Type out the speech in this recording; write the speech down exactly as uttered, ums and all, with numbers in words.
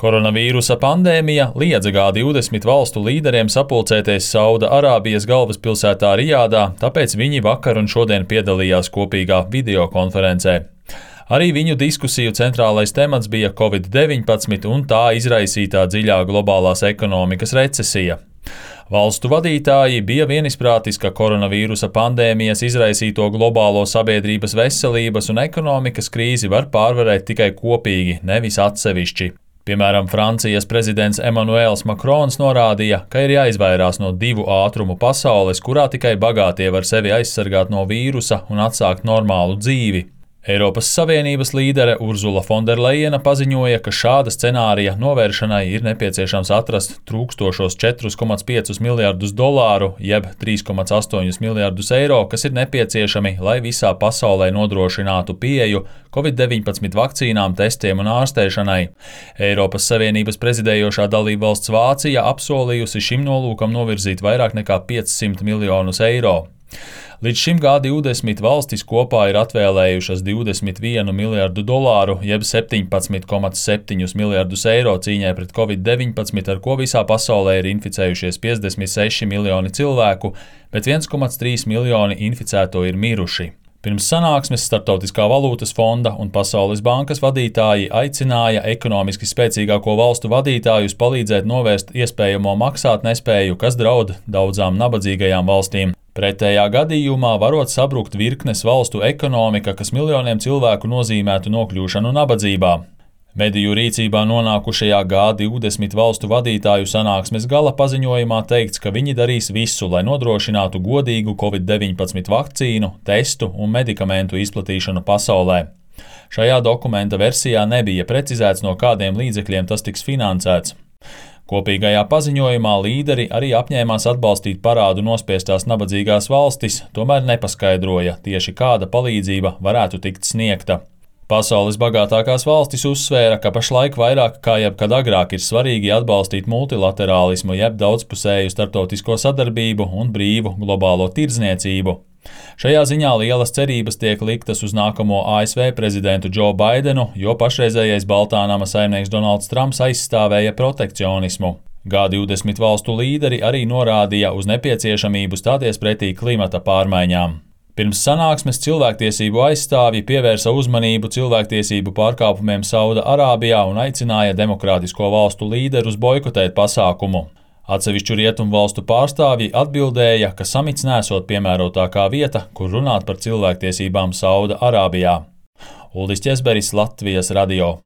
Koronavīrusa pandēmija liedza G divdesmit valstu līderiem sapulcēties Sauda Arābijas galvaspilsētā Rijādā, tāpēc viņi vakar un šodien piedalījās kopīgā videokonferencē. Arī viņu diskusiju centrālais temats bija covid deviņpadsmit un tā izraisītā dziļā globālās ekonomikas recesija. Valstu vadītāji bija vienisprātis, ka koronavīrusa pandēmijas izraisīto globālo sabiedrības veselības un ekonomikas krīzi var pārvarēt tikai kopīgi, nevis atsevišķi. Piemēram, Francijas prezidents Emmanuels Macrons norādīja, ka ir jāizvairās no divu ātrumu pasaules, kurā tikai bagātie var sevi aizsargāt no vīrusa un atsākt normālu dzīvi. Eiropas Savienības līdere Urzula Fonderlejena paziņoja, ka šāda scenārija novēršanai ir nepieciešams atrast trūkstošos četrus komats piecus miljardus dolāru, jeb trīs komats astoņus miljardus eiro, kas ir nepieciešami, lai visā pasaulē nodrošinātu pieeju covid deviņpadsmit vakcīnām, testiem un ārstēšanai. Eiropas Savienības prezidējošā dalībvalsts Vācija apsolījusi šim nolūkam novirzīt vairāk nekā piecsimt miljonus eiro. Līdz šim G divdesmit valstis kopā ir atvēlējušas divdesmit vienu miljardu dolāru, jeb septiņpadsmit komats septiņus miljardus eiro cīņai pret covid deviņpadsmit, ar ko visā pasaulē ir inficējušies piecdesmit seši miljoni cilvēku, bet viens komats trīs miljoni inficēto ir miruši. Pirms sanāksmes Starptautiskā valūtas fonda un Pasaules bankas vadītāji aicināja ekonomiski spēcīgāko valstu vadītājus palīdzēt novērst iespējamo maksātnespēju, kas draud daudzām nabadzīgajām valstīm. Pretējā gadījumā varot sabrukt virknes valstu ekonomika, kas miljoniem cilvēku nozīmētu nokļūšanu nabadzībā. Mediju rīcībā nonākušajā G divdesmit valstu vadītāju sanāksmes gala paziņojumā teikts, ka viņi darīs visu, lai nodrošinātu godīgu covid deviņpadsmit vakcīnu, testu un medikamentu izplatīšanu pasaulē. Šajā dokumenta versijā nebija precizēts, no kādiem līdzekļiem tas tiks finansēts. Kopīgajā paziņojumā līderi arī apņēmās atbalstīt parādu nospiestās nabadzīgās valstis, tomēr nepaskaidroja tieši kāda palīdzība varētu tikt sniegta. Pasaules bagātākās valstis uzsvēra, ka pašlaik vairāk kā jebkad agrāk ir svarīgi atbalstīt multilaterālismu, jeb daudzpusēju starptautisko sadarbību un brīvu globālo tirdzniecību. Šajā ziņā lielas cerības tiek liktas uz nākamo A S V prezidentu Džo Baidenu, jo pašreizējais Baltānama saimnieks Donalds Trumps aizstāvēja protekcionismu. G divdesmit valstu līderi arī norādīja uz nepieciešamību stāties pretī klimata pārmaiņām. Pirms sanāksmes cilvēktiesību aizstāvji pievērsa uzmanību cilvēktiesību pārkāpumiem Sauda Arābijā un aicināja demokrātisko valstu līderus boikotēt pasākumu. Atsevišķu rietumu valstu pārstāvji atbildēja, ka samits nesot piemērotākā vieta, kur runāt par cilvēktiesībām Sauda Arābijā. Uldis Ķesberis, Latvijas radio.